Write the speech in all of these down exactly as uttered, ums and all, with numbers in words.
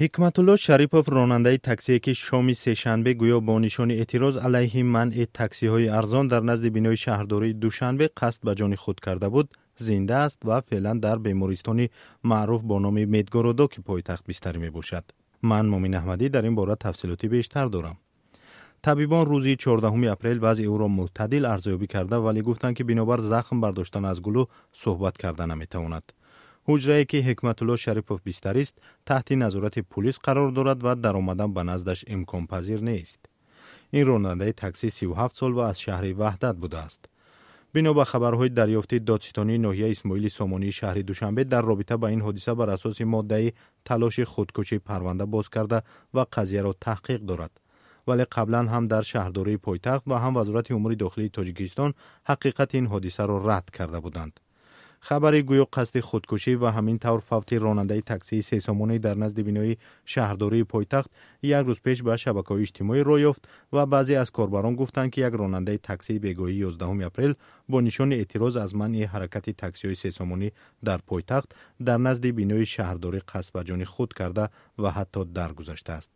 Ҳикматулло Шарипов, ронандаи таксие, ки шоми сешанбе гӯё бо нишони эътироз алайҳи манъи таксиҳои арзон дар назди бинои шаҳрдории Душанбе қасд ба ҷони худ карда буд, зинда аст ва феълан дар бемористони маъруф бо номи Медгородоки пойтахт бистарӣ мебошад. Ман, Мумин Аҳмадӣ, дар ин бора тафсилоти бештар дорам. Табибон рӯзи чордаҳуми апрел вазъи ӯро мӯътадил арзёбӣ карда, вале гуфтанд, ки бинобар захм бардоштан аз гулӯ суҳбат карда наметавонад. Ҳуҷрае, ки Ҳикматулло Шарипов бистарист, таҳти назорати пулис қарор дорад ва даромадан ба наздаш имконпазир нест. Ин ронандаи таксӣ сию ҳафт сол ва аз шаҳри Ваҳдат будааст. Бино ба хабарҳои дарёфтии додситонии ноҳияи Исмоили Сомонии шаҳри Душанбе дар робита ба ин ҳодиса бар асоси моддаи талоши худкушӣ парванда боз карда ва қазияро таҳқиқ дорад. Вале қаблан ҳам дар шаҳрдории пойтахт ва ҳам Вазорати умури дохилии Тоҷикистон ҳақиқати ин ҳодисаро рад карда буданд. Хабари гӯё қасди худкушӣ ва ҳамин тавр фавти ронандаи таксии сесомонӣ дар назди бинои шаҳрдории пойтахт як рӯз пеш ба шабакаҳои иҷтимоӣ роҳ ёфт ва баъзе аз корбарон гуфтанд, ки як ронандаи таксии бегоҳии ёздаҳуми апрел бо нишони эътироз аз манъи ҳаракати таксиҳои сесомонӣ дар пойтахт дар назди бинои шаҳрдорӣ қасд ба ҷони худ карда ва ҳатто даргузаштааст.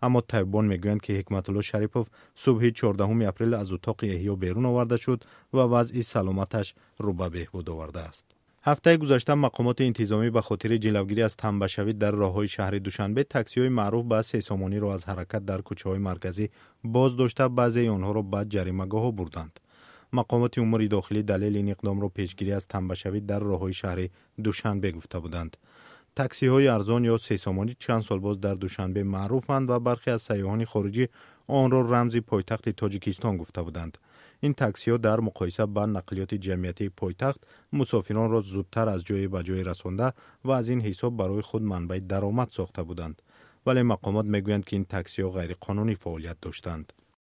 Аммо табибон мегӯянд, ки Ҳикматулло Шарипов субҳи чордаҳуми апрел аз утоқи эҳё берун оварда шуд ва вазъи саломаташ рӯ ба беҳбуд овардааст. Ҳафтаи гузашта мақомоти интизомӣ ба хотири ҷилавгирӣ аз тамбашавӣ дар роҳҳои шаҳри Душанбе таксиҳои маъруф ба сесомониро аз ҳаракат дар кӯчаҳои марказӣ боз дошта, баъзеи онҳоро ба ҷаримагоҳҳо бурданд. Мақомоти умури дохилӣ далели ин иқдомро пешгирӣ аз тамбашавӣ дар роҳҳои шаҳри Душанбе гуфта буданд. Таксиҳои арзон ё сесомонӣ чанд сол боз дар Душанбе маъруфанд ва бархе аз сайёҳони хориҷӣ онро рамзи пойтахти Тоҷикистон гуфта буданд. Ин таксиҳо дар муқоиса ба нақлиёти ҷамъиятии пойтахт мусофиронро зудтар аз ҷое ба ҷое расонда ва аз ин ҳисоб барои худ манбаи даромад сохта буданд. Вале мақомот мегӯянд, ки ин таксиҳо ғайриқонунӣ фаъолият доштанд.